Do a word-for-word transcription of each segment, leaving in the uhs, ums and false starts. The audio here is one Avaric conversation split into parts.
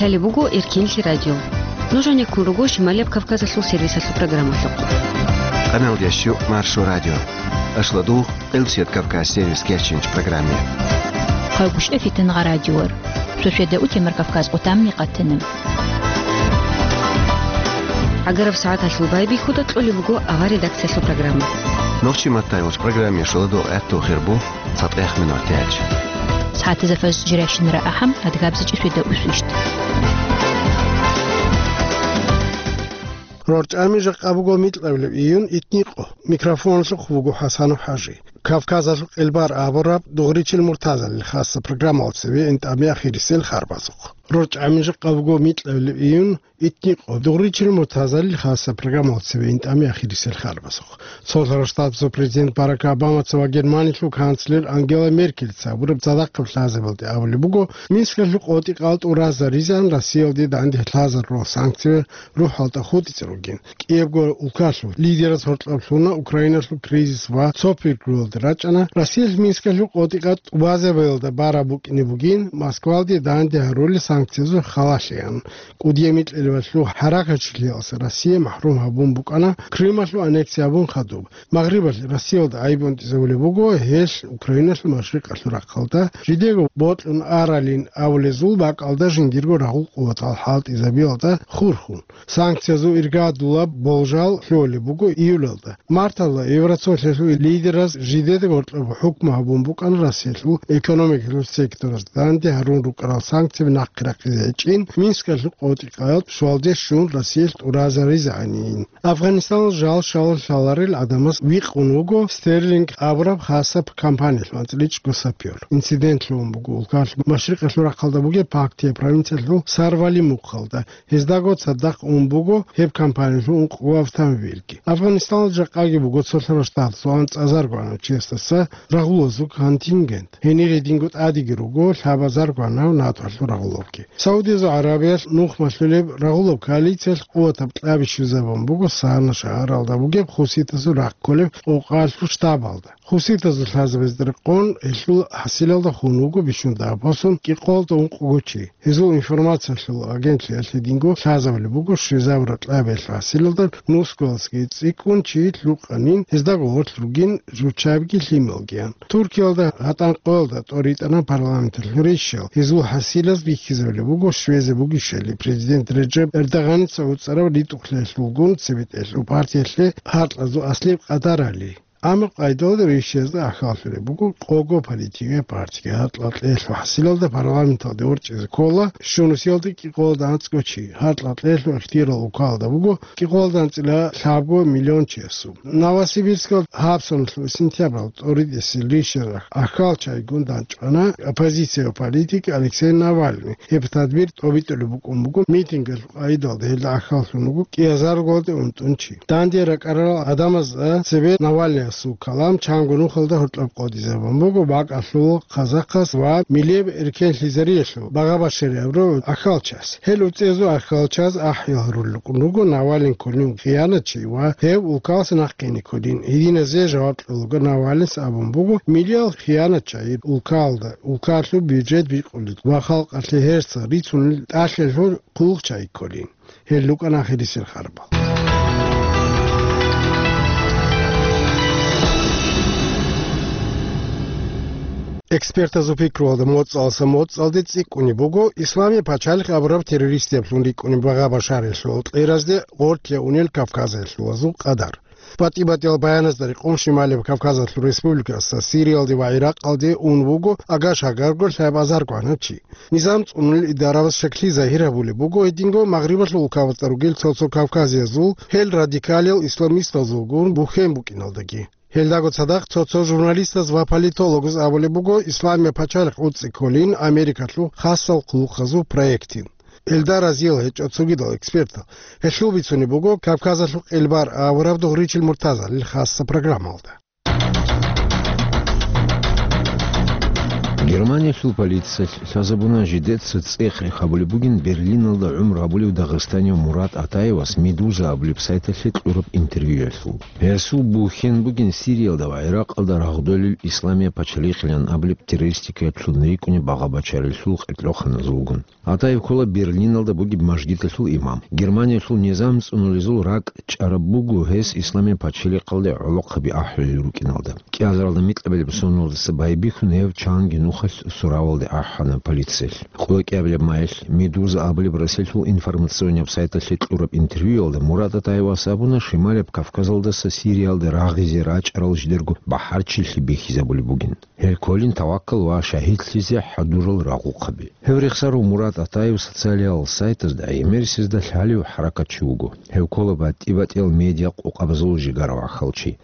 Лъалеб буго Эркинлъи радио. Нуж гьанеккун руго Шималияб Кавказалъул сервисалъул программалъухъ. Къаналдеш Маршо радио. Ашладугъ, Къилбсият Кавказ сервис кечинч программе. Хъалгушев Фитингъа радиор. Шошеда утемар Кавказ къутамни къатана. ГӀагараб сагӀаталъул байбихьуда кьолеб буго авар редакциялъул программа. Нохчи маттай уч программе шоладугъ гӀатту хирбу. Цадахъ минутач. СагӀатазда фажр жирашин рагӀахъам, адгабзичӀи шведа усвищ. РорчӀами жакъа буго микьабилеб июн итникъо. Микрофонлъухъ вуго ХӀасану ХӀажи. Кавказалъул къелбар абураб дугъричил муртазалил хасса программалцеве интӀами ахирисел харбазухъ. РорчӀами жакъа буго микьабилеб июн итникъо дугъричил муртазалил хасса программалцеве интӀами ахирисел харбазухъ. Цолъарал Штатазул президент Барак Обамаца ва Германиялъул канцлер Ангела Меркельца абураб цадахъаб лъазабалде абулеб буго, Минскалъул къотӀи-къал тӀуразаризан Россиялде данде лъазарурал санкциял рухӀалда хутӀизе ругин. КӀиябго улкалъул лидераз гьоркьоб лъуна Украиналъул кризис ва цо пиргруялде рачӀана Россиялъ Минскалъул къотӀи-къал тӀубазабиялда бараб букӀине бугин, Москвалде данде гьарулел санкциязул халалъеян. КӀудиял микьабилеб лъугьа-хӀаракатчилъиялдаса Россия махӀрум гьабун букӀана Крымалъул аннексия гьабун хадуб. Магърибалъ Россиялда гӀайиб унтӀизабулеб буго гьелъ Украиналъул машрикъалъул рахъалда, жидего бокьун аралин абулезул бакӀалда жиндирго рагъул къуватал хӀалтӀизабиялда хурхун. Санкциязул иргадулаб болжал лъолеб буго июлалда. Марталда Евросоюзалъул лидераз жидеда гьоркьоб хӀукму гьабун букӀана Россиялъул экономикалъул сектораз данде гьарун рукӀарал санкцияби нахъе рахъизе гьечӀин, Минскалъул къотӀи-къал щвалде щун Россиялъ тӀуразаризегӀанин. Афганистаналъ жал щалал лъаларел гӀадамаз викъун вуго Стерлинг абураб хасаб компаниялъул анцӀила чӀго сапёр. Инцидент лъугьун буго улкалъ машрикъалъул рахъалда бугеб Пактия провинциялъул Сарвали мухъалда. Гьездаго цадахъ ун буго гьеб компаниялъул ункъго автомобильги. Афганистаналда жакъаги буго цолъарал штатазул анцӀазарго гӀанав чиясдаса рагъулазул контингент. Гьенир гьединго тӀадеги руго лъабазарго гӀанав НАТОлъул рагъулабги. Саудиязул ГӀарабиялъ нух малъулеб рагъулаб коалициялъ къуватаб кьаби щвезабун буго Сана шагьаралда бугеб хуситазул рахъ кколеб къокъаялъул штабалда. Хуситазул лъазабазда рекъон гьелъул хӀасилалда хун вуго бищун дагьаб босун кӀикъоялда ункъго чи. Гьезул информациялъул агентлъиялъ гьединго лъазабулеб буго щвезабураб кьабиялъул хӀасилалда нусгоялдасаги цӀикӀкӀун чи лъукъанин, гьездаго гъорлъ ругин жучаябги лъималгиян. Туркиялда гьатӀан къоялда тӀоритӀана парламенталъул рещтӀал. Гьезул хӀасилаз бихьизабулеб буго щвезе бугищали президент Реджеп Эрдоганица уцӀараб ритӀухълъиялъулгун цебетӀелъул партиялъе гьаркьазул аслияб къадарали. Амма къайдалда рещтӀазда ахӀаллъулеб буго къого политикияб партиги. Гьаркьал кьеялъул хӀасилалда парламенталде ворчӀизе ккола щунусиялда кӀикъоялда анцӀго чи. Гьаркьал кьеялъул ихтияр улкалда буго кӀикъоялда анцӀила лъабго миллион чиясул. Новосибирскалъ гьабсагӀаталъул сентябралда тӀоритӀисел рещтӀазда ахӀалчагӀигун дандчӀвана оппозицияб политик Алексей Навальный. Гьеб тадбир тӀобитӀулеб букӀун буго митингалъул къайдалда, гьелда ахӀаллъун вуго кӀиазарго унтӀун чи. Данде ракӀарал гӀадамазда цебе Навальныясул калам чанго нухалда гьоркьоб къотӀизабун буго бакӀалъул казахъас ва милияб эркенлъизариялъул багъа-башарияб ахӀалчас. Гьел уцӀезул ахӀалчас ахӀи гьарулел рукӀун руго Навальный кколин хиянатчи ва гьев улкалас нахъ ккене кколин. Гьединазе жаваб кьолаго Навальныйс абун буго милиял хиянатчагӀи улкалда, улкалъул бюджет бикъулел ва халкъалъе гьерсал рицунел тӀалъалъул хъулухъчагӀи кколин. Гьел рукӀана ахирисел харбал. Экспертазул пикруялда моцӀалдаса моцӀалде цӀикӀкӀунеб буго Исламияб пачалихъ абураб террористияблъун рикӀкӀунеб багъа-башариялъул кьеразде гъорлъ унел Кавказалъулазул къадар. БатӀи-батӀиял баяназда рекъон Шималияб Кавказалъул республикаялдаса Сириялде ва ГӀиракъалде ун вуго агаш-агарго лъабазарго гӀанав чи. Низам цӀунулел идарабаз шаклъи загьир гьабулеб буго гьединго Магърибалъул улкабазда ругел цо-цо кавказиязул, гьел радикалиял исламистазулгун бухьен букӀиналдаги. Гьелдаго цадахъ цо-цо журналистаз ва политологаз абулеб буго Исламияб пачалихъ уцӀцӀи кколин Америкалъул хасал хъулухъазул проектин. Гьелда разиял гьечӀо цогидал экспертал. Гьелъул бицунеб буго Кавказалъул къелбар авараб дугъричил муртазалил хасса программалда. Германиялъул полициялъ лъазабуна жидеца цӀех-рех гьабулеб бугин Берлиналда гӀумру гьабулев дагъистанив Мурат Атаевас Медуза абулеб сайталъе кьураб интервьюялъул. Гьесул бухьен бугин Сириялда ва ГӀиракъалда рагъдолел Исламия пачалихъилан абулеб террористикаялъул рикӀкӀунеб багъа-бачаралъул къеркьоханазулгун. Атаев ккола Берлиналда бугеб мажгиталъул имам. Германиялъул низам цӀунулезул ракӀ чӀараб буго гьес Исламия пачалихъалде гӀолохъаби ахӀулел рукӀиналда. КӀиазаралда микьабилеб соналдаса байбихьун гьев чанги нухалъ суравалде ахӀана полициялъ. КӀиабилеб майилъ Медуза абулеб Россиялъул информационнияб сайталъе кьураб интервьюялда Мурат Атаевас абуна Шималияб Кавказалдаса Сириялде рагъизе рачӀарал жидерго бахӀарчилъи бихьизабулеб бугин. Гьел кколин таваккал ва шагьидлъизе хӀадурал рагъухъаби. Гьев рехсарав Мурат Атаев социалиял сайтазда гӀемерисезда лъалев хӀаракатчи вуго. Гьев ккола батӀи-батӀиял медиа къокъабазул жигара вахалчи.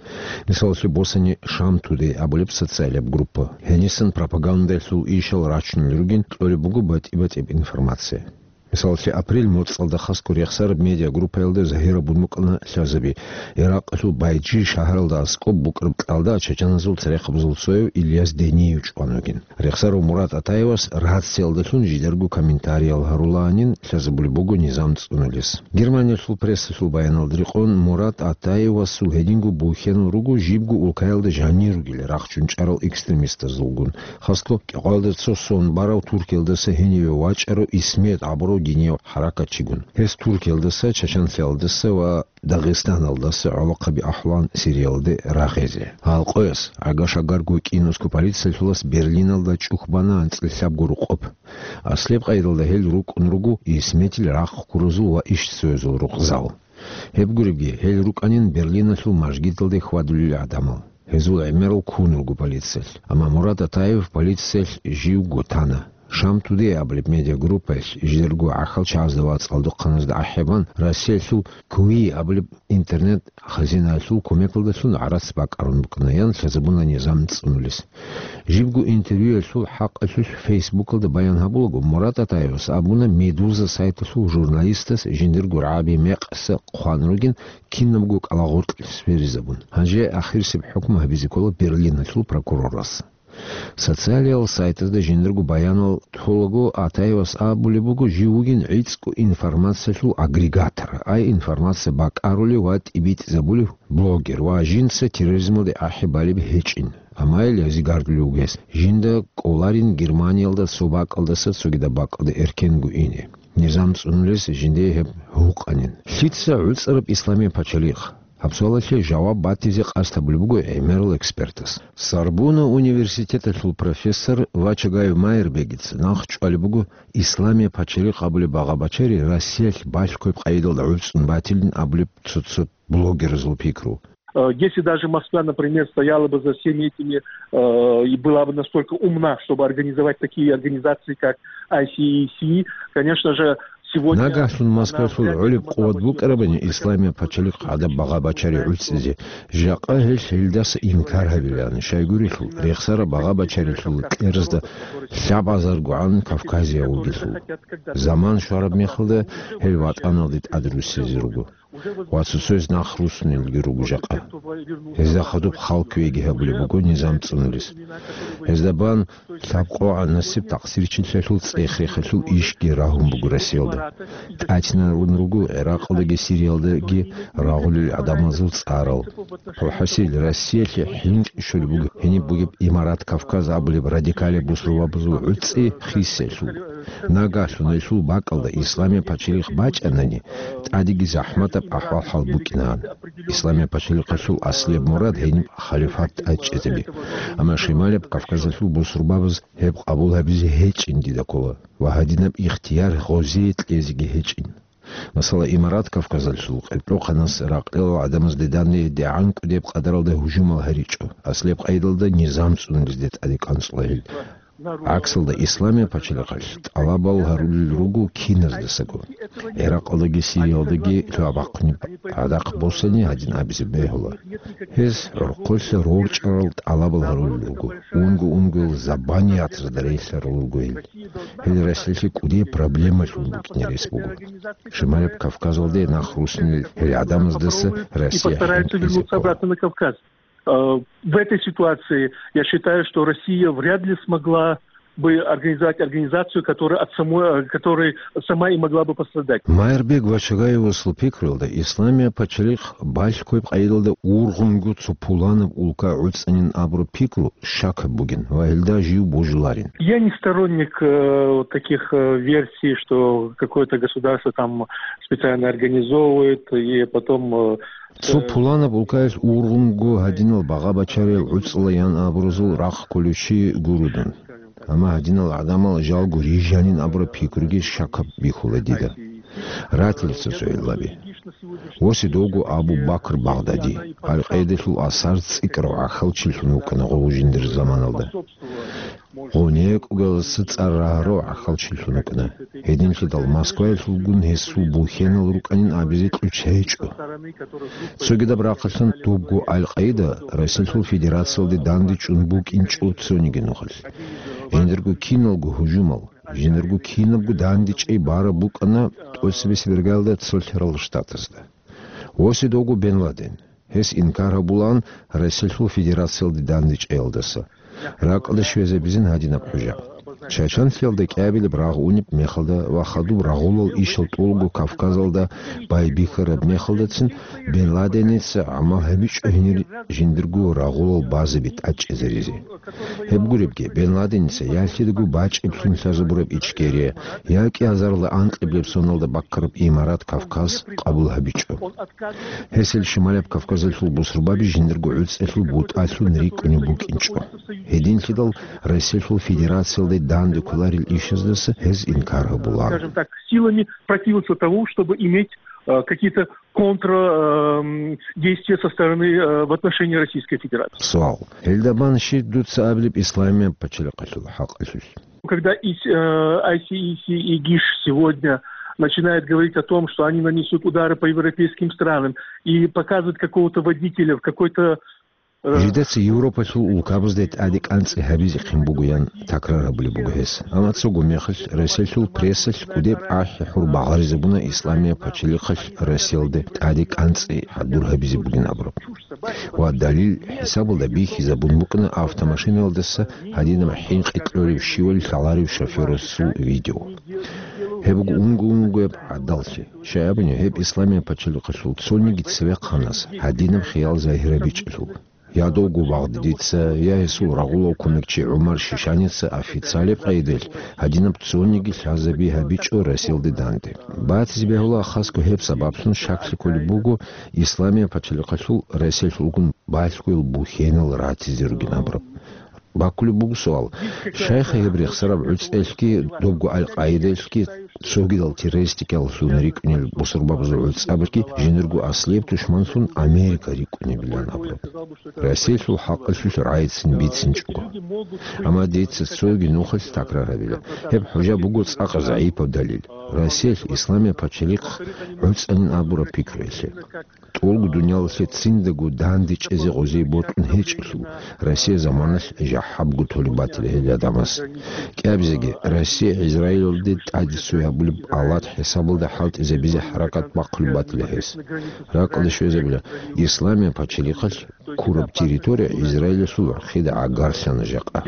Мисалалъе босани Шам Тудей абулеб социалияб группа. Гьенисан пропагандалъул ишал рачунел ругин кьолеб буго батӀи-батӀияб информация. Мисалалъе, апрель моцӀалда хасго рехсараб медиагруппаялда загьирабун букӀана лъазаби, Иракъалъул Байджи шагьаралда аскӀоб букӀараб кьалда чачаназул церехъабазул цояв Ильяс Дениев чӀван вугин. Рехсарав Мурат Атаевас рациялдалъун жидерго комментариял гьарулаанин лъазабулеб буго низам цӀунулес. Германиялъул прессалъул баяналда рекъон, Мурат Атаевасул гьединго бухьенал руго жибго улкаялда жанир ругел рахчун чӀарал экстремистазулгун. Хасго кӀикъоялда цо сон барав Туркиялдаса гьениве вачӀарав Исмет абурав динияв хӀаракатчигун. Гьес Туркиялдаса, Чачанлъиялдаса ва Дагъистаналдаса гӀолохъаби ахӀулаан Сириялде рагъизе. Гьал къояс, агаш-агарго кӀинусго полициялъулас Берлиналда чӀухь бана анцӀила лъабго рукъоб. Аслияб къайдалда гьел рукӀун руго Исметил рахъ ккуразул ва ишцоязул рукъзал. Гьеб гуребги, гьел рукӀанин Берлиналъул мажгиталде хьвадулел гӀадамал. Гьезул гӀемерал ккун руго полициялъ. Амма Мурат Атаев полициялъ живго тана. Шам Тудей абулеб медиагруппаялъ жидерго гӀахьалчагӀазда ва цӀалдохъаназда ахӀи бан, Россиялъул Куи абулеб интернет-хазинаялъул кумекалдалъун гӀарац бакӀарун букӀана, ян лъазабуна низам цӀунулес. Жибго интервьюялъул хӀакъалъулъ Фейсбукалда баян гьабулаго, Мурат Атаевас абуна Медуза сайталъул журналистас жиндирго рагӀаби мекъса хъван ругин, кинабго кӀалагъоркьлъи сверизабун. Гьанже ахирисеб хӀукму гьабизе ккола Берлиналъул прокурорас. Социалиял сайтазда жиндирго баянал толаго Атаевас абулеб буго жив вугин гӀицӀго информациялъул агрегатор, ай информация бакӀарулев ва тӀибитӀизабулев блогер ва жинца терроризмалде ахӀи балеб гьечӀин. Амма гьел гьезие гардулев вугес, жинда кӀоларин Германиялда цо бакӀалдаса цогидаб бакӀалда эркенго ине. Низам цӀунулес жиндие гьеб гьукъанин. Лъица гӀуцӀараб исламияб пачалихъ? Гьаб суалалъе жаваб батизе къасд гьабулеб буго гӀемерал экспертас. Сорбонна университеталъул профессор Вачагаев Майербегица нахъ чӀвалеб буго исламияб пачалихъ абулеб багъа-бачари Россиялъ балъгояб къайдалда гӀуцӀун батилин абулеб цо-цо блогерзул пикру. Э, если даже Москва, например, стояла бы за всеми этими, э, и была бы настолько умна, чтобы организовать такие организации, как I C C, конечно же, сегодня Нагагьлъун она Москвалъул вряд ли гӀолеб могла бы букӀарабани исламияб пачалихъ гӀадаб багъа-бачари гӀуцӀизе. Жакъа гьел гьелдаса инкар гьабилаан, щайгурелъул, рехсараб багъа-бачарилъул кьеразда лъабазаргогӀан кавказияв вугелъул. Заман щвараб мехалда гьел ватӀаналде тӀадруссизе руго. Ва цо-цояз нахъ руссунелги руго жакъа. Гьезда хадуб хал кквеги гьабулеб буго низам цӀунулес. Гьезда бан лъабкъогӀан насиб такъсирчилъиялъул цӀех-рехалъул ишги рагьун буго Россиялда. ТӀатинарун руго ГӀиракъалдаги Сириялдаги рагъулел гӀадамазул цӀарал. ХӀасил, Россиялъе хӀинкӀи щолеб буго гьениб бугеб Имарат Кавказ абулеб радикалияб бусурбабазул гӀуцӀи хисиялъул. Нагагьлъун гьелъул бакӀалда исламияб пачалихъ бачӀанани, тӀадеги захӀматаб ахӀвал-хӀал букӀинаан. Исламияб пачалихъалъул аслияб мурад гьениб халифат тӀадчӀезаби. Амма Шималияб Кавказалъул бусурбабаз гьеб къабул гьабизе гьечӀин дида ккола ва гьадинаб ихтияр гъозие кьезеги гьечӀин. Масала, Имарат Кавказалъул къеркьохъанас ракьалал гӀадамазде данде дигӀан кӀудеб къадаралда гьужумал гьаричӀо, аслияб къайдалда низам цӀунулезде тӀаде кӀанцӀула гьел. ГӀаксалда, исламияб пачалихъалъ тӀалабал гьарулел руго киназдасаго. ГӀиракъалдаги Сириялдаги лъугьа-бахъунеб гӀадахъ босани гьадин абизе бегьула. Гьез гӀурхъулъа рорчӀарал тӀалабал гьарулел руго, унго-унгоял забаниятазда релълъарал руго гьел. Гьел Россиялъе кӀудияб проблемалъун букӀине рес буго. Шималияб Кавказалде нахъ руссунел гьел гӀадамаздаса Россия хӀинкӀизе ккола. Э, в этой ситуации я считаю, что Россия вряд ли смогла бы организовать организацию, которая от самой, э, которая сама и могла бы пострадать. Майрбек Вачагаевасул пикруялда, Исламияб пачалихъ балъгояб къайдалда ургъунго цо пуланаб улка гӀуцӀанин абураб пикру шакаб бугин ва гьелда жив божуларин. Я не сторонник, э, вот таких, э, версий, что какое-то государство там специально организовывает и потом, э, Цо пуланаб улкаялъ ургъунго гьадинал багъа-бачариял гӀуцӀла ян абуразул рахъ кколев чи гуро дун. Амма гьадинал гӀадамал жалго рижанин абураб пикруги шакаб бихьула дида. Ратила цо-цо гӀиллаби. Восидовго Абу Бакр Багъдади, Аль-Къаидалъул асар цӀикӀкӀарав гӀахьалчилъун вукӀана гъов жиндир заманалда. Гъов некӀугалдаса цӀар рагьарав гӀахьалчилъун вукӀана. Гьединлъидал Москваялъулгун гьесул бухьенал рукӀанин абизе кьучӀ гьечӀо. Цогидаб рахъалъан дубго Аль-Къаида Россиялъул Федерациялде дандечӀун букӀинчӀо цониги нухалъ. Жиндирго киналго гьужумал, жиндирго кинабго дандечӀей бараб букӀана тӀоцебесеб иргаялда цо лъарал штатазда. Восидовго Бен Ладен. Гьес инкар гьабулаан Россиялъул Федерациялде дандечӀеялдаса. РакӀалде щвезабизин гьадинаб хӀужа. Чачанлъиялда кӀиабилеб рагъ унеб мехалда ва хадуб рагъулал ишал тӀолго Кавказалда байбихьараб мехалдацин Бен Ладеница гӀамал гьабичӀо гьенир жиндирго рагъулал базаби тӀадчӀезаризе. Гьеб гуребги, Бен Ладеница ялъидаго бачӀиблъун лъазабураб Ичкерия, я кӀиазарла анкьиблеб соналда баккараб Имарат Кавказ къабул гьабичӀо. Гьесил Шималаб Кавказалъул бусурбаби жиндирго гӀуцӀелъул бутӀалъун рикӀкӀунеб букӀинчӀо. Гьединлъидал Россиялъул Федерациялде данде кколарел ишаздаса гьез инкар гьабулаан. Скажем так, силами противиться тому, чтобы иметь, э, какие-то контр, эм, действия со стороны, э, в отношении Российской Федерации. Суал. Гьелда бан щиб дуца абилеб Исламияб пачалихъалъул хӀакъалъулъ? Когда ИС, э, ай си ИС и ГИШ сегодня начинает говорить о том, что они нанесут удары по европейским странам и показывать какого-то водителя в какой-то, э, Жидеца Европалъул улкабазда тӀаде кӀанцӀи гьабизехъин бугоян такрар гьабулеб буго гьес. Амма цого мехалъ Россиялъул прессалъ кӀудеб ахӀи-хӀур багъаризабуна Исламияб пачалихъалъ Россиялда тӀаде кӀанцӀи хӀадур гьабизе бугин абураб. Ва далил хӀисабалда бихьизабун букӀана автомашинаялдаса гьадинаб хӀинкъи кьолеб щивали лъаларев шофёрасул видео. Гьеб буго унго-унгояб гӀадаллъи. Щай абуни, гьеб Исламияб пачалихъалъул цониги цевехъанас гьадинаб хиял загьирабичӀелъул. Я довго Багъдадица, я гьесул рагъулав кумекчи ГӀумар Шишаница официалеб къайдалъ гьадинаб цониги лъазаби гьабичӀо Россиялде данде. Батизе бегьула хасго гьеб сабаблъун щаклъи кколеб буго Исламияб пачалихъалъул Россиялъулгун балъгоял бухьенал ратизе ругин абураб. Баккулеб буго суал, щайха гьеб рехсараб гӀуцӀелъги, добго Аль-Къаидалъги, цогидал террористикаллъун рикӀкӀунел бусурбабазул гӀуцӀабилъги жиндирго аслияб тушманлъун Америка рикӀкӀунебилан абураб. Россиялъул хӀакъалъулъ рагӀицин бицинчӀого. Амма дица цоги нухалъ такрар гьабила. Гьеб хӀужа буго цӀакъ загӀипаб далил. Россиялъ Исламияб пачалихъ гӀуцӀанин абураб пикруялъе. ТӀолго дуниялалъе циндаго данде чӀезе гъозие бокьун гьечӀелъул, Россия заманалъ жахӀабго толеб батила гьел гӀадамаз. КӀиабизеги, Россия Израилалде тӀаде цой гьабулеб алат хӀисабалда хӀалтӀизабизе хӀаракат бахъулеб батила гьес. РакӀалде щвезабила, Исламияб пачалихъалъ ккураб территория Израилалъул гӀурхъида гӀагарлъана жакъа.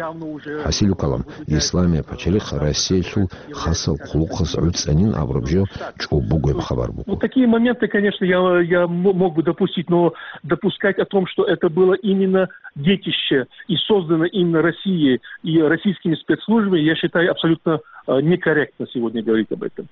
ХӀасилу калам, Исламияб пачалихъ Россиялъул хасал хъулухъас гӀуцӀанин абураб жо чӀоб бугеб хабар буго. Ну, такие моменты, конечно, я, я м-, мог бы допустить, но допускать о том, что это было именно детище и создано именно Россией и российскими спецслужбами, я считаю абсолютно, э, некорректно сегодня говорить об этом.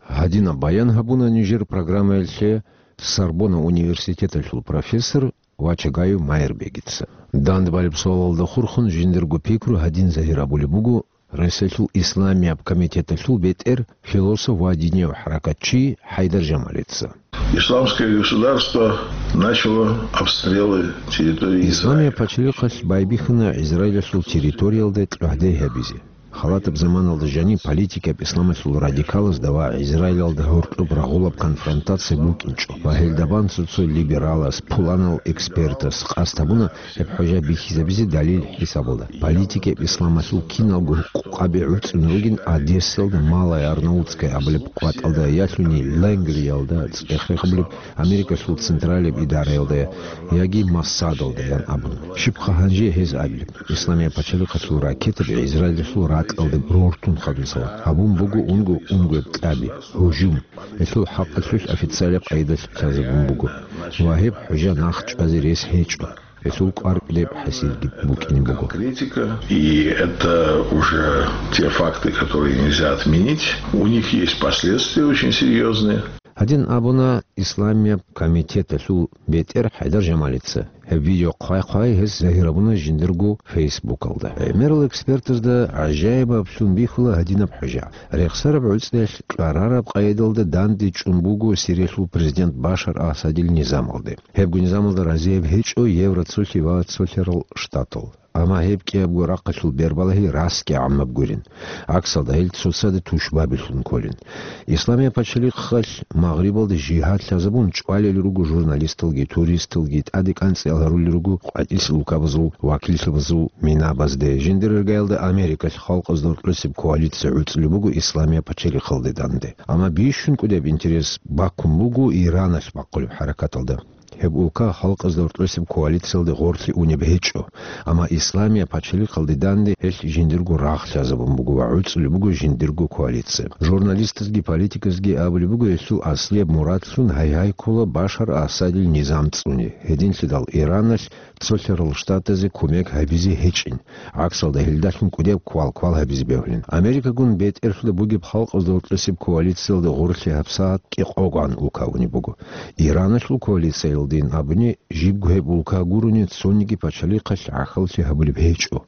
Гьадинаб баян гьабуна нижер программаялъе Сорбонна университеталъул профессор Вачагаев Майрбегица. Дандбалеб суалалда хурхун жиндирго пикру гьадин загьир абулеб буго Россиялъул Исламияб комитеталъул бетӀер, философ ва динияв хӀаракатчи ХӀайдар Жамалица. Исламское государство начало обстрелы территории Израиля. Исламияб пачалихъалъ байбихьана Израилалъул территориялда кьогьдай гьабизе. Халатаб заманалда жаниб политикаб исламалъул радикалазда ва Израилалда гьоркьоб рагъулаб конфронтация букӀинчӀо ва гьелда бан цо-цо либералас, пуланал экспертас къасд гьабуна гьеб хӀужа бихьизабизе далил хӀисабалда. Политикаб исламалъул киналго гьукъукъаби гӀуцӀун ругин Одессалда Малая Арнаутская абулеб къватӀалда ялъуни Лангриялда цӀех-рех гьабулеб Америкалъул централияб идараялда яги Моссадалда ян абун. Щибха гьанже гьез абилеб? Исламияб пачалихъалъул ракетаби Израилалъул ракь Алда рортун хадусала гьабун буго унго-унгояб кьаби, гьужум. Гьелъул хӀакъалъулъ официалаб къайдалъ лъазабун буго ва гьеб хӀужа нахъ чӀвазе рес гьечӀо. Гьелъул кӀвар кӀудеб хӀасилги букӀине буго. Критика, и это уже те факты, которые нельзя отменить. У них есть последствия очень серьёзные. Гьадин абуна Исламияб комитеталъул бетӀер ХӀайдар Жамалица. Гьеб видео хъвай-хъвай гьес загьир гьабуна жиндирго Фейсбукалда. ГӀемерал экспертазда гӀажаибаблъун бихьула гьадинаб хӀужа. Рехсараб гӀуцӀиялъ кьарараб къайдалда данде чӀун буго Сириялъул президент Башар Асадил низамалде. Гьебго низамалда разияб гьечӀо Евроцолъи ва Цолъарал Штатал. Амма гьеб кӀиябго рахъалъул бербалагьи расги гӀаммаб гурин. ГӀаксалда, гьел цоцазда тушбабилъун кколин. Исламияб пачалихъалъ Магърибалда жигьад лъазабун чӀвалел руго журналисталги, туристалги, тӀаде кӀанцӀиялъ гьарулел руго къватӀилъ улкабазул вакиллъабазул минабазде. Жиндир иргаялда Америкалъ халкъазда гьоркьосеб коалиция гӀуцӀулеб буго Исламияб пачалихъалде данде. Амма бищун кӀудеб интерес баккун буго Ираналъ бахъулеб хӀаракаталда. Гьеб улка халкъазда гьоркьосеб коалициялде гъорлъе унеб гьечӀо, амма Исламияб пачалихъалде данде гьелъ жиндирго рагъ лъазабун буго ва гӀуцӀулеб буго жиндирго коалиция. Журналистазги политиказги абулеб буго гьелъул аслияб мурадлъун гьай-гьай ккола Башар Асадил низам цӀуне, гьединлъидал Ираналъ Цолъарал Штатазе кумек гьабизе гьечӀин. ГӀаксалда, гьелдалъун кӀудеб квал-квал гьабизе бегьулин. Америкагун бетӀерлъуда бугеб халкъазда гьоркьосеб коалициялда гъорлъе гьабсагӀат кӀикъоган улка унеб буго. Ираналъул коалициялдин абуни, жибго гьеб улка гурони цониги пачалихъалъ гӀахьаллъи гьабулеб гьечӀо.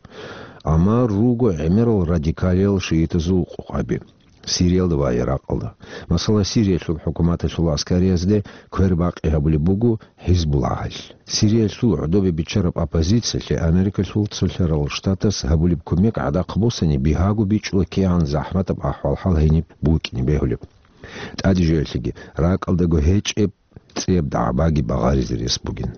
Амма руго гӀемерал радикалиял шиитазул къокъаби Сириялда ва Иракъалда. Масала, Сириялъул хӀукуматалъул аскариязде квербакъи гьабулеб буго ХӀизбуллагьалъ. Сириялъул гӀодобе биччараб оппозициялъе Америкалъул Цолъарал Штатас гьабулеб кумек гӀадахъ босани, бигьаго бичӀчӀула кигӀан захӀматаб ахӀвал-хӀал гьениб букӀине бегьулеб. ТӀаде жоялъеги, ракӀалдаго гьечӀеб цӀияб дагӀбаги багъаризе рес бугин.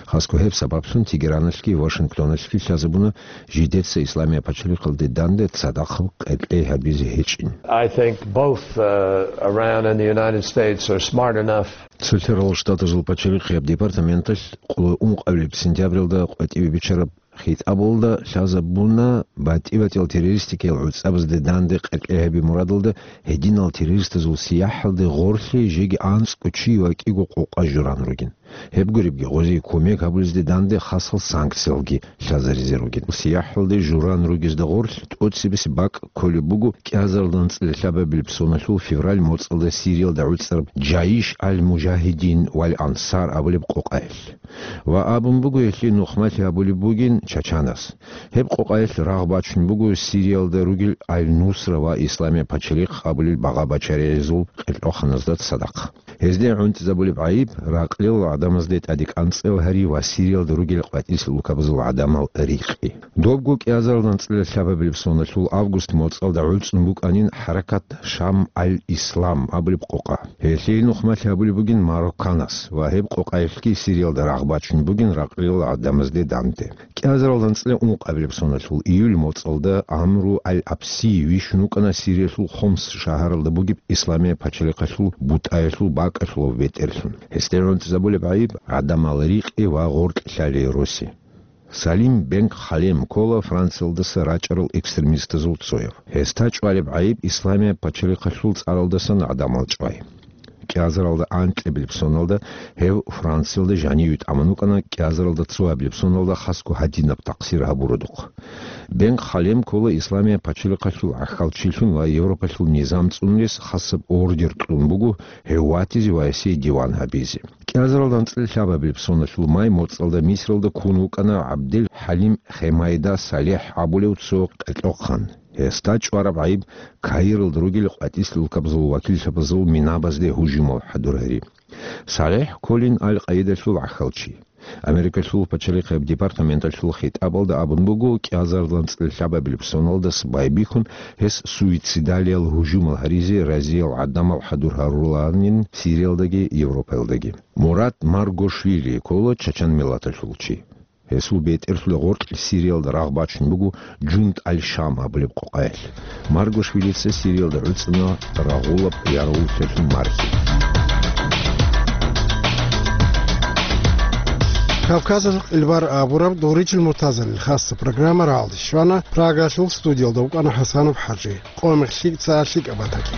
Хасго гьеб сабаблъун Тегераналъги Вашингтоналъги лъазабуна жидеца Исламияб пачалихъалде данде цадахъ къеркьей гьабизе гьечӀин. I think both, uh, Iran and the United States are smart enough. Цолъарал Штатазул пачалихъияб департаменталъ къулай ункъабилеб сентябралда къватӀиве биччараб хитӀабалда лъазабуна батӀи-батӀиял террористикиял гӀуцӀабазде данде къеркьей гьаби мурадалда гьединал террористазул сияхӀалде гъорлъе жеги анцӀго чи ва кӀиго къокъа журан ругин. Гьеб гуребги, гъозие кумек гьабулезде данде хасал санкциялги лъазаризе ругин. СияхӀалде журан ругезда гъорлъ тӀоцебесеб бакӀ кколеб буго кӀиазарилда анцӀила лъабабилеб соналъул февраль моцӀалда Сириялда гӀуцӀараб Джаиш аль-Мужагьидин валь Ансар абулеб къокъаялъ. Ва абун буго, гьелъие нухмалъи гьабулеб бугин Чачанас. Гьеб къокъаялъ рагъ бачун буго Сириялда ругел Аль-Нусра ва Исламияб пачалихъ абулел багъа-бачаригӀазул къеркьоханазда цадахъ. Гьезде гӀунтӀизабулеб гӀайиб ракълил гӀадамазде тӀаде кӀанцӀил гьари ва Сириялда ругел къватӀилъ улкабазул гӀадамал рикъи. Добго кӀиазарилда анцӀила лъабабилеб соналъул август моцӀалда гӀуцӀун букӀанин хӀаракат Шам аль-Ислам абулеб къокъа. Гьелъие нухмалъи гьабулеб бугин Марокканас ва гьеб къокъаялъги Сириялда рагъ бачун бугин ракълил гӀадамазде данде. КӀиазарилда анцӀила ункъабилеб соналъул июль моцӀалда Амру аль-Абси вищун вукӀана Сириялъул Хомс шагьаралда бугеб Исламияб пачалихъалъул бутӀаялъул бакӀалъулав бетӀерлъун. Гьесде гӀунтӀизабулеб гӀайиб гӀадамал рикъи ва гъоркь лъалей роси. Салим бен Халем ккола Франциялдаса рачӀарал экстремистазул цояв. Гьесда чӀвалеб гӀайиб Исламияб пачалихъалъул цӀаралдасан гӀадамал чӀвай. КӀиазарилда анкьабилеб соналда гьев Франциялда жаниве тӀамун вукӀана, кӀиазарилда цоабилеб соналда хасго гьадинаб такъсир гьабуродухъ. Бен Халем ккола Исламияб пачалихъалъул гӀахьалчилъун ва Европалъул низам цӀунулес хасаб ордер кьун буго гьев ватизе ва гьесие диван гьабизе. КӀиазарилда анцӀила лъабабилеб соналъул май моцӀалда Мисралда ккун вукӀана ГӀабдел ХӀалим Хемайда Салехь абулев цо къеркьохъан. Гьесда чӀвараб гӀайиб Каиралда ругел къватӀилъ улкабазул вакиллъабазул минабазде гьужумал хӀадур гьари. Салехь кколин Аль-Къаидалъул гӀахьалчи. Америкалъул пачалихъияб департаменталъул хитӀабалда абун буго, кӀиазарилда анцӀила лъабабилеб соналдаса байбихьун гьес суицидалиял гьужумал гьаризе разиял гӀадамал хӀадур гьарулаанин Сириялдаги Европаялдаги. Мурат Маргошвили ккола чачан миллаталъул чи. Гьесул бетӀерлъуда гъоркь Сириялда рагъ бачун буго Джунд аль-Шам абулеб къокъаялъ. Маргошвилица Сириялда гӀуцӀана рагъулаб ярагъуллъиялъул мархи. Кавказалъул къилбар абураб Дугъричил Муртазалил хасса программа рагӀалде щвана, Прагалъул студиялда вукӀана ХӀасанов ХӀажи. Къоямах лъикӀ ца, лъикӀаб батаги.